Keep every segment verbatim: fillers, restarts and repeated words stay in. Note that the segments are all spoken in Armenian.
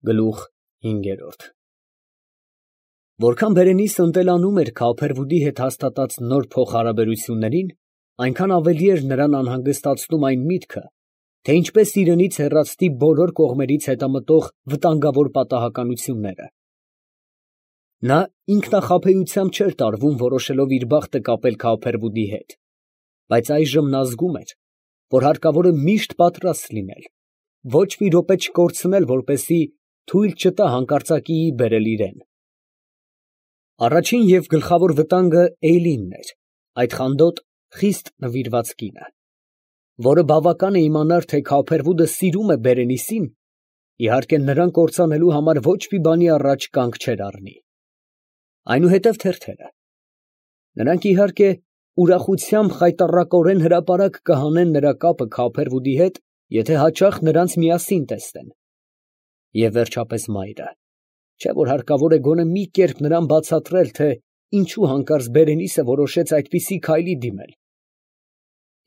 Գլուխ հինգերորդ Որքան Բերենիսը ընտելանում էր Քարփերվուդի հետ հաստատած նոր փոխհարաբերություններին, այնքան ավելի էր նրան անհանգստացնում այն միտքը, թե ինչպես իրենից հեռացնի բոլոր կողմերից հետամտող վտանգավոր պատահականությունները։ Նա ինքնախաբեությամբ չէր տարվում, որոշելով իր բախտը կապել Քարփերվուդի հետ, բայց այժմ նա զգում էր, որ հարկավոր է միշտ պատրաստ լինել, ոչ մի րոպե չկորցնել, որպեսզի թույլ չտա հանկարծակիի բերել իրան։ Առաջին և գլխավոր վտանգը Էյլինն էր, այդ խանդոտ, խիստ նվիրված կինը, որը բավական է իմանար, թե Քարփերվուդը սիրում է Բերենիսին, իհարկե նրան կործանելու համար ոչ մի բանի առաջ կանգ չէր առնի։ Այնուհետև թերթերը. նրանք իհարկե ուրախությամբ խայտառակորեն հրապարակ կհանեն նրա կապը Քարփերվուդի հետ, եթե հաճախ նրանց միասին տեսնեն։ Եվ վերջապես մայրը, չէ՞ որ հարկավոր է գոնե մի կերպ նրան բացատրել, թե ինչու հանկարծ Բերենիսը որոշեց այդպիսի քայլի դիմել։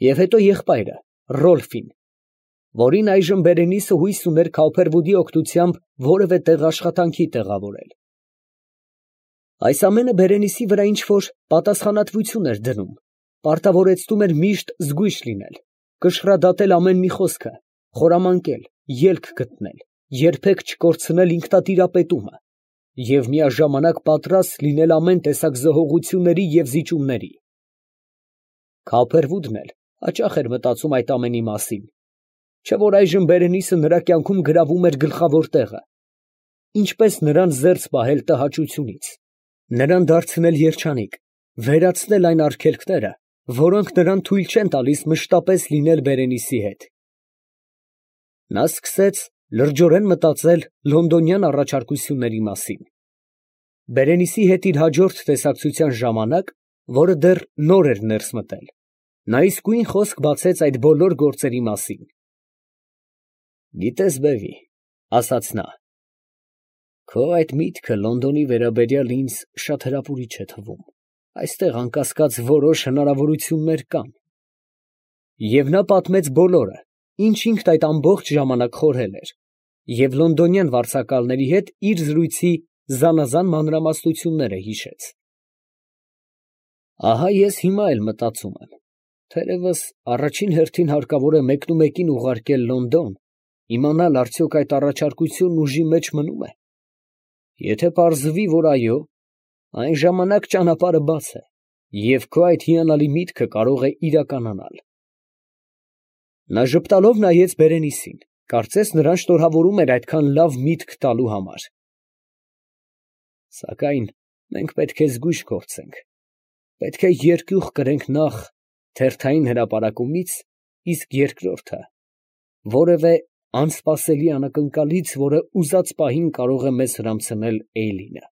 Եվ հետո եղբայրը, Ռոլֆին, որին այժմ Բերենիսը հույս ուներ Քարփերվուդի օգնությամբ որևէ տեղ աշխատանքի տեղավորել։ Այս ամենը Բերենիսի վրա ինչ֊որ պատասխանատվություն էր դնում, պարտավորեցնում էր միշտ զգույշ լինել, կշռադատել ամեն մի խոսքը, խորամանկել, ելք գտնել, երբեք չկորցնել ինքնատիրապետումը և միաժամանակ պատրաստ լինել ամեն տեսակ զոհողությունների և զիջումների։ Քարփերվուդն էլ հաճախ էր մտածում այդ ամենի մասին, չէ՞ որ այժմ Բերենիսը նրա կյանքում գրավում էր գլխավոր տեղը, ինչպես նրան զերծ պահել տհաճությունից, նրան դարձնել երջանիկ, վերացնել այն արգելքները, որոնք նրան թույլ չեն տալիս մշտապես լինել Բերենիսի հետ։ Նա սկսեց լրջորեն մտածել լոնդոնյան առաջարկությունների մասին։ Բերենիսի հետ իր հաջորդ տեսակցության ժամանակ, որը դեռ նոր էր ներս մտել, նա իսկույն խոսք բացեց այդ բոլոր գործերի մասին։ «Գիտես, բևի, ֊ ասաց նա, ֊ քո այդ միտքը Լոնդոնի վերաբերյալ ինձ շատ հրապուրիչ է թվում, այստեղ անկասկած որոշ հնարավորություններ կան»։ Եվ նա պատմեց բոլորը, ինչ ինքն այդ ամբողջ ժամանակ խորհել էր, և լոնդոնյան վարձակալների հետ իր զրույցի զանազան մանրամասնությունները հիշեց։ «Ահա ես հիմա էլ մտածում եմ, թերևս առաջին հերթին հարկավոր է մեկնումեկին ուղարկել Լոնդոն, իմանալ արդյոք այդ առաջարկությունն ուժի մեջ մնո՞ւմ է։ Եթե պարզվի, որ այո, այն ժամանակ ճանապարհը բաց է, և քո այդ հիանալի միտքը կարող է իրականանալ»։ Նա ժպտալով նայեց Բերենիսին, կարծես նրան շնորհավորում էր այդքան լավ միտք տալու համար։ «Սակայն մենք պետք է զգույշ գործենք, պետք է երկյուղ կրենք նախ թերթային հրապարակումից, իսկ երկրորդը՝ որևէ անսպասելի անակնկալից, որը ուզած պահին կարող է մեզ հրամցնել Էյլինը։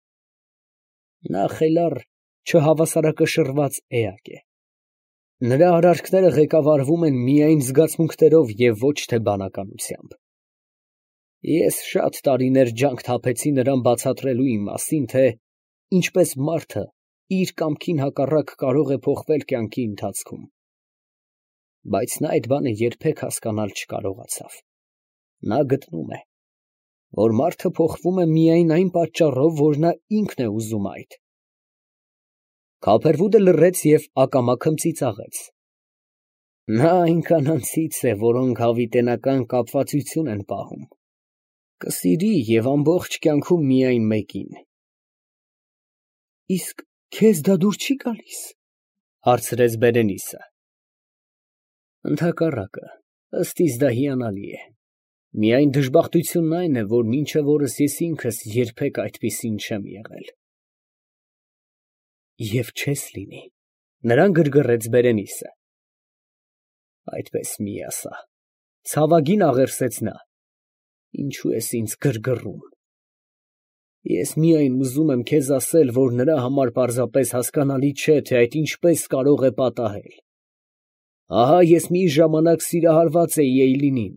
Նա խելառ, չհավասարակշռված էակ է։ Նրա արարքները ղեկավարվում են միայն զգացմունքներով և ոչ թե բանականությամբ։ Ես շատ տարիներ ջանք թափեցի նրան բացատրելու իմ մասին, թե ինչպես մարդը իր կամքին հակառակ կարող է փոխվել կյանքի ընթացքում։ Բայց նա այդ բանը երբեք հասկանալ չկարողացավ։ Նա գտնում է, որ մարդը փոխվում է միայն այն պատճառով, որ նա ինքն է ուզում այդ»։ Քարփերվուդը լռեց և ակամա քմծիծաղեց։ «Նա այն կանանցից է, որոնք հավիտենական կապվածություն են պահում, կսիրի և ամբողջ կյանքում միայն մեկին»։ «Իսկ քեզ դա դուր չի գալիս, ֊ հարցրեց Բերենիսը։ ֊ Ընդհակառակը, ըստ իս դա հիանալի է, միայն դժբախտությունն այն է, որ մինչև օրս ես ինքս երբեք այդպիսին չեմ եղել»։ «Եվ չես լինի, ֊ նրան գրգռեց Բերենիսը։ ֊ Այդպես մի ասա, ֊ ցավագին աղերսեց նա, ֊ ինչո՞ւ ես ինձ գրգռում։ Ես միայն ուզում եմ քեզ ասել, որ նրա համար պարզապես հասկանալի չէ, թե այդ ինչպես կարող է պատահել։ Ահա ես մի ժամանակ սիրահարված էի Էյլինին,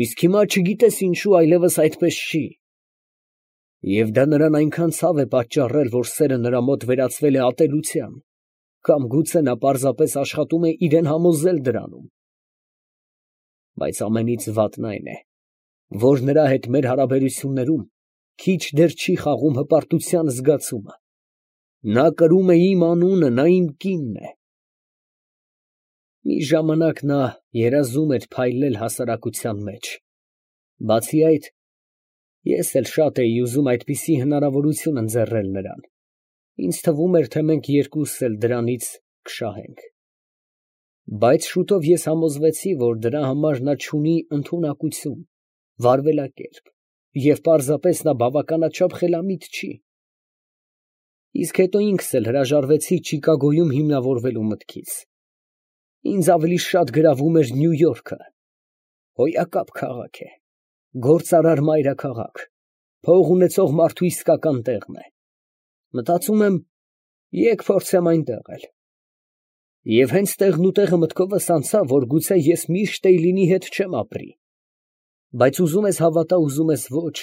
իսկ հիմա չգիտես ինչու այլևս այդպես չի։ Եվ դա նրան այնքան ցավ է պատճառել, որ սերը նրա մոտ վերածվել է ատելության, կամ գուցե նա պարզապես աշխատում է իրան համոզել դրանում։ Բայց ամենից վատն այն է, որ նրա հետ մեր հարաբերություններում քիչ դեռ չի խաղում հպարտության զգացումը. նա կրում է իմ անունը, նա իմ կինն է։ Մի ժամանակ նա երազում էր փայլել հասարակության մեջ, բացի այդ, ես էլ շատ էի ուզում այդպիսի հնարավորություն ընձեռել նրան, ինձ թվում էր, թե մենք երկուսս էլ դրանից կշահենք։ Բայց շուտով ես համոզվեցի, որ դրա համար նա չունի ընդունակություն, վարվելակերպ, և պարզապես նա բավականաչափ խելամիտ չի։ Իսկ հետո ինքս էլ հրաժարվեցի Չիկագոյում հիմնավորվելու մտքից։ Ինձ ավելի շատ գրավում էր Նյու Յորքը, հոյակապ քաղաք է, գործարար մայրաքաղաք, փող ունեցող մարդու իսկական տեղն է։ Մտածում եմ, եկ փորձեմ այնտեղ էլ։ Եվ հենց տեղնուտեղը մտքովս անցավ, որ գուցե ես միշտ Էյլինի հետ չեմ ապրի։ Բայց ուզում ես հավատա, ուզում ես ոչ,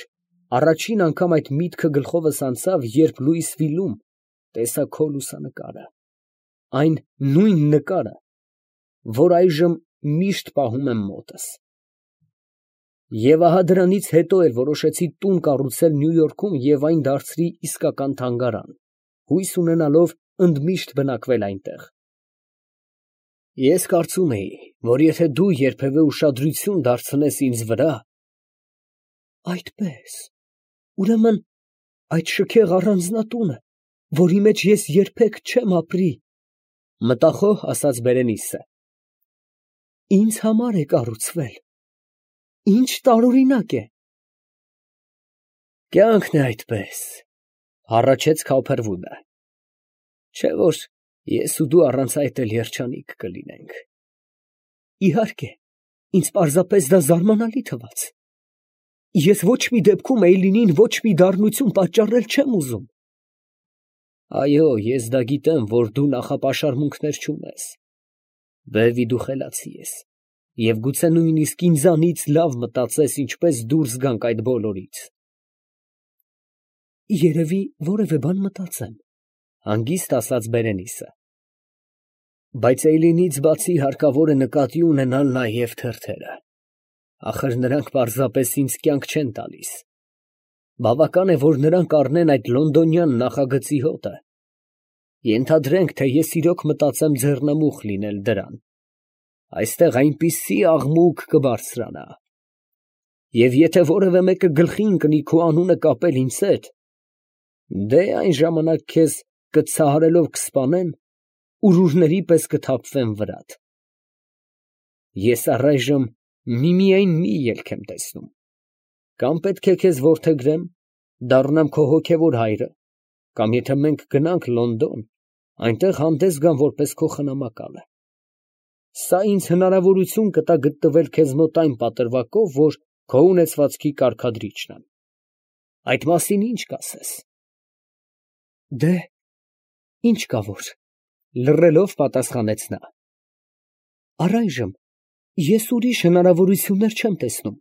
առաջին անգամ այդ միտքը գլխովս անցավ, երբ Լուիսվիլում տեսա քո լուսանկարը, այն նույն նկարը, որ այժմ միշտ պահում եմ մոտս։ Եվ ահա դրանից հետո էլ որոշեցի տուն կառուցել Նյու Յորքում և այն դարձրի իսկական թանգարան, հույս ունենալով ընդմիշտ բնակվել այնտեղ։ Ես կարծում էի, որ եթե դու երբևէ ուշադրություն դարձնես ինձ վրա… Այդպե՞ս, ուրեմն այդ շքեղ առանձնատունը, որի մեջ ես երբեք չեմ ապրի, մտախոհ ասաց Բերենիսը, ինձ համար է կառուցվել, ինչ տարօրինակ է։ Կյանքն է այդպես, հառաչեց Քոփերվուդը, չէ՞ որ ես ու դու առանց այդ էլ երջանիկ կլինենք։ Իհարկե, ինձ պարզապես դա զարմանալի թվաց։ Ես ոչ մի դեպքում Էյլինին ոչ մի դառնություն պատճառել չեմ ուզում։ Այո, ես դա գիտեմ, որ դու նախապաշարմունքներ չունես։ Բևի, դու խելացի ես, և գուցե նույնիսկ ինձանից լավ մտածես, ինչպես դուրս գանք այդ բոլորից։ Երևի որևէ բան մտածեմ, հանգիստ ասաց Բերենիսը։ Բայց Էյլինից բացի հարկավոր է նկատի ունենալ նաև թերթերը։ Ախր նրանք պարզապես ինձ կյանք չեն տալիս։ Բավական է, որ նրանք առնեն այդ լոնդոնյան նախագծի հոտը։ Ենթադրենք, թե ես իրոք մտածեմ ձեռնամուխ լինել դրան։ Այստեղ այնպիսի աղմուկ կբարձրանա։ Եվ եթե որևէ մեկը գլխի ընկնի քո անունը կապել ինձ հետ, դե այն ժամանակ քեզ կցահարելով կսպանեն, ուրուրների պես կթափվեն վրադ։ Ես առայժմ միմիայն մի ելք եմ տեսնում. կամ պետք է քեզ որդեգրեմ, դառնամ քո հոգևոր հայրը, կամ եթե մենք գնանք Լոնդոն, այնտեղ հանդես գամ որպես քո խնամակալը։ Սա ինձ հնարավորություն կտա գտնվել քեզ մոտ այն պատրվակով, որ քո ունեցվածքի կարգադրիչն եմ։ Այդ մասին ի՞նչ կասես։ Դե, ինչ կա որ, լռելով պատասխանեց նա։ Առայժմ ես ուրիշ հնարավորություններ չեմ տեսնում,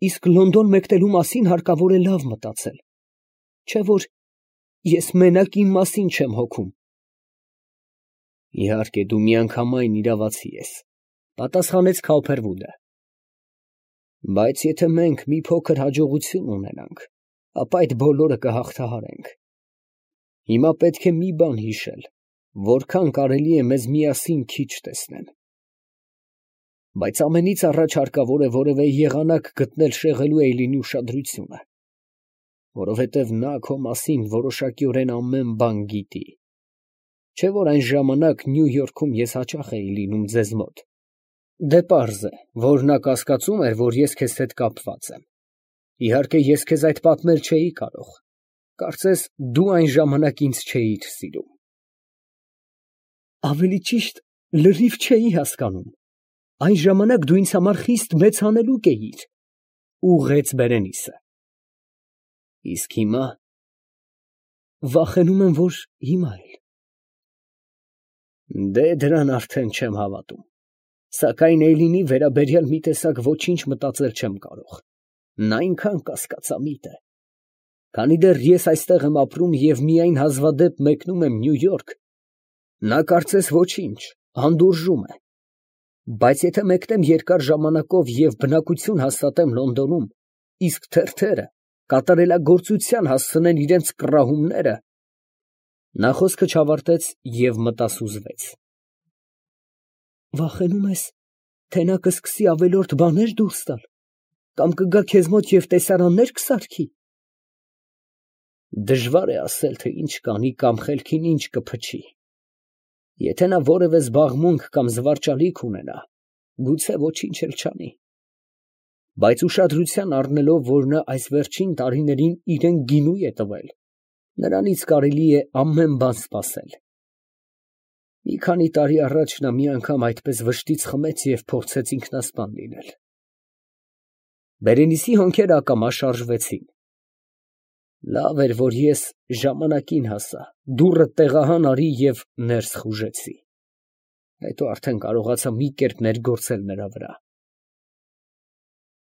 իսկ Լոնդոն մեկնելու մասին հարկավոր է լավ մտածել, չէ՞ որ ես մենակ իմ մասին չեմ հոգում։ Իհարկե, դու միանգամայն իրավացի ես, պատասխանեց Քոփերվուդը։ Բայց եթե մենք մի փոքր հաջողություն ունենանք, ապա այդ բոլորը կհաղթահարենք։ Հիմա պետք է մի բան հիշել, որքան կարելի է մեզ միասին քիչ տեսնեն։ Բայց ամենից առաջ հարկավոր է որևէ եղանակ գտնել շեղելու Էյլինի ուշադրությունը, որովհետև նա քո մասին որոշակիորեն ամեն բան գիտի։ Չէ՞ որ այն ժամանակ Նյու Յորքում ես հաճախ էի լինում ձեզ մոտ։ Դե պարզ է, որ նա կասկածում էր, որ ես քեզ հետ կապված եմ։ Իհարկե, ես քեզ այդ պատմել չէի կարող։ Կարծես դու այն ժամանակ ինձ չէիր սիրում։ Ավելի ճիշտ, լրիվ չէի հասկանում։ Այն ժամանակ դու ինձ համար խիստ մեծ հանելուկ էիր, ուղղեց Բերենիսը։ Իսկ հիմա… վախենում եմ, որ հիմա էլ… Դե դրան արդեն չեմ հավատում, սակայն Էյլինի վերաբերյալ մի տեսակ ոչինչ մտածել չեմ կարող, նա այնքան կասկածամիտ է։ Քանի դեռ ես այստեղ եմ ապրում և միայն հազվադեպ մեկնում եմ Նյու Յորք, նա կարծես ոչինչ, հանդուրժում է։ Բայց եթե մեկնեմ երկար ժամանակով և բնակություն հաստատեմ Լոնդոնում, իսկ թերթերը կատարելագործության հասցնեն իրենց կռահումները… Նա խոսքը չավարտեց և մտասուզվեց։ Վախենում ես, թե նա կսկսի ավելորդ բաներ դուրս տալ, կամ կգա քեզ մոտ և տեսարաննե՞ր կսարքի։ Դժվար է ասել, թե ինչ կանի կամ խելքին ինչ կփչի. եթե նա որևէ զբաղմունք կամ զվարճալիք ունենա, գուցե ոչինչ էլ չանի, բայց ուշադրության առնելով, որ նա այս վերջին տարիներին իրան գինու է տվել, նրանից կարելի է ամեն բան սպասել։ Մի քանի տարի առաջ նա մի անգամ այդպես վշտից խմեց և փորձեց ինքնասպան լինել… Բերենիցի հոնքերը ակամա շարժվեցին։ Լավ էր, որ ես ժամանակին հասա, դուռդ տեղահան արի և ներս խուժեցի… հետո արդեն կարողացա մի կերպ ներգործել նրա վրա…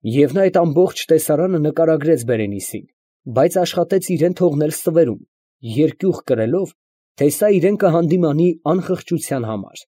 Եվ նա այդ ամբողջ տեսարանը նկարագրեց Բերենիցին, բայց աշխատեց իրան թողնել ստվերում, երկյուղ կրելով, թե սա իրան կհանդիմանի անխղճության համար։